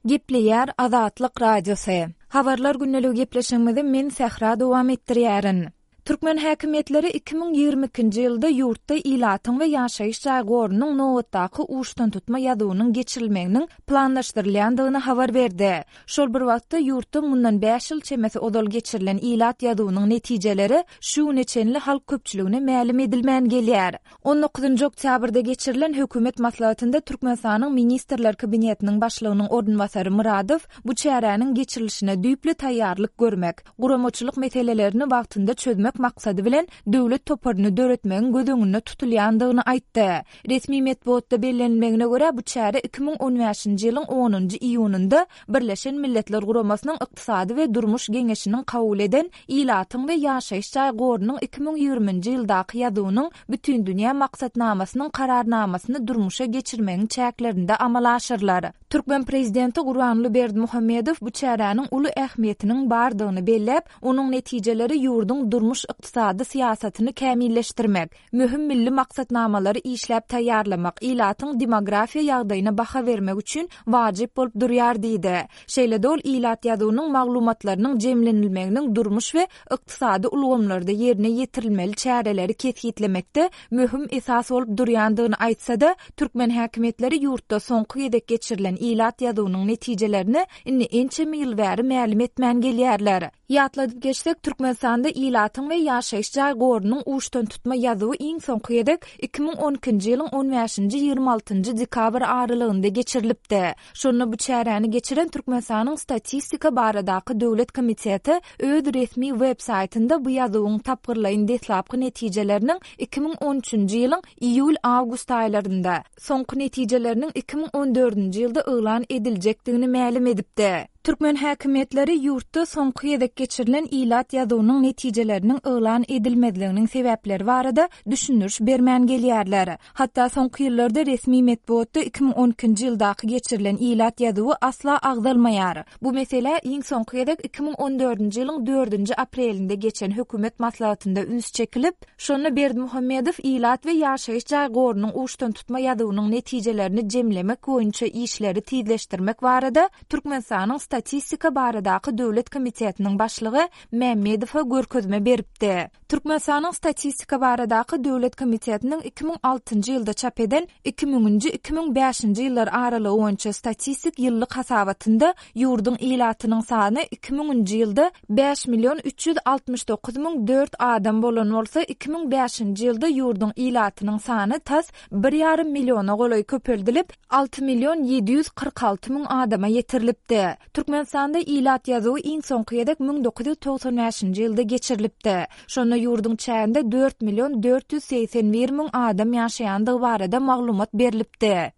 Gepleýär Azatlyk Radiosy. Habarlar gündeligi gepleşigimizi men Sähra dowam etdirýärin. Türkmen häkimiýetleri 2022-nji ýylda ýurtda ilatyň we ýaşaýyş jaý gorunyň nobatdaky uçdantutma ýazuwynyň geçirilmeginiň planlaşdyrylýandygyny habar berdi. Şol bir wagtda, ýurtda mundan bäş ýyl çemesi ozal geçirilen ilat ýazuwynyň netijeleri şu güne çenli halk köpçüligine mälim edilmän gelýär. On dokuzynjy oktýabrda geçirilen hökümet maslahatynda Türkmenistanyň Ministrler Kabinetiniň Başlygynyň orunbasary Myradow bu çäräniň geçirilişine düýpli taýýarlyk görmek, guramaçylyk meselelerini wagtynda çözmek maksady bilen döwlet toparyny döretmegiň göz öňünde tutulýandygyny aýtdy. Resmi metbugatda bellenilmegine görä, bu çäre 2015-nji ýylyň onunjy iýunynda Birleşen Milletler Guramasynyň Ykdysady we Durmuş Geňeşiniň kabul eden Ilatyň we ýaşaýyş jaý gorunyň 2020-nji ýyldaky ýazuwynyň Bütindünýä maksatnamasynyň Kararnamasyny durmuşa geçirmegiň çäklerinde amala aşyrylar. Türkmen prezidenti Gurbanguly Berdimuhamedow bu çäräniň uly ähmiýetiniň bardygyny belläp, onuň netijeleri ýurduň durmuş-ykdysady syýasatyny kämilleşdirmek, möhüm milli maksatnamalary işläp taýýarlamak, ilatyň demografiýa ýagdaýyna baha bermek üçin wajyp bolup durýar diýdi. Şeýle-de ol ilat ýazuwynyň maglumatlarynyň jemlenilmeginiň durmuş we ykdysady ulgamlarda ýerine ýetirilmeli çäreleri kesgitlemekde möhüm esas bolup durýandygyny aýtsa-da, türkmen häkimiýetleri ýurtda soňky gezek geçirilen ilat ýazuwynyň netijelerini indi ençeme ýyl bäri mälim etmän gelýärler. Ýatladyp geçsek, Türkmenistanda ilatyň we ýaşaýyş jaý gorunyň uçdantutma ýazuwy iň soňky gezek 2012-nji ýylyň on bäşinji-ýigrimi altynjy dekabr aralygynda geçirilipdi. Şonda bu çäräni geçiren Türkmenistanyň Statistika baradaky döwlet komiteti öz resmi web saýtynda bu ýazuwyň tapgyrlaýyn deslapky netijeleriniň 2013-nji ýylyň iýul-awgust aýlarynda, soňky netijeleriniň 2014-nji ýylda yglan ediljekdigini mälim edipdi. Türkmen häkimiýetleri ýurtda soňky gezek geçirilen ilat ýazuwynyň netijeleriniň yglan edilmezliginiň sebäpleri barada düşündiriş bermän gelýärler. Hatda soňky ýyllarda resmi metbugatda 2012-nji ýyldaky geçirilen ilat ýazuwy asla agzalmaýar. Bu meselä iň soňky gezek 2014-nji ýylyň dördünji aprelinde geçen hökümet maslahatynda üns çekilip, şonda Berdimuhamedow ilat we ýaşaýyş jaý gorunyň uçdantutma ýazuwynyň netijelerini jemlemek boýunça işleri tizleşdirmek barada Türkmenistanyň Statistika baradaky döwlet komitetiniň başlygy Mämmedowa görkezme beripdi. Türkmenistanyň Statistika baradaky döwlet komitetiniň 2006-njy ýylda çap eden iki müňünji, 2005-nji ýyllar aralygy boýunça statistik ýyllyk hasabatynda ýurduň ilatynyň sany iki müňünji ýylda bäş million 369 004 adam bolan bolsa, 2005-nji ýylda ýurduň ilatynyň sany tas bir ýarym milliona golaý köpeldilip, 6 million 746 müň adama ýetirilipdi. Türkmenistanda ilat ýazuwy iň soňky gezek 1995-nji ýylda geçirilipdi. Şonda ýurduň çäginde 4 million 481 müň adam ýaşaýandygy barada maglumat berlipdi.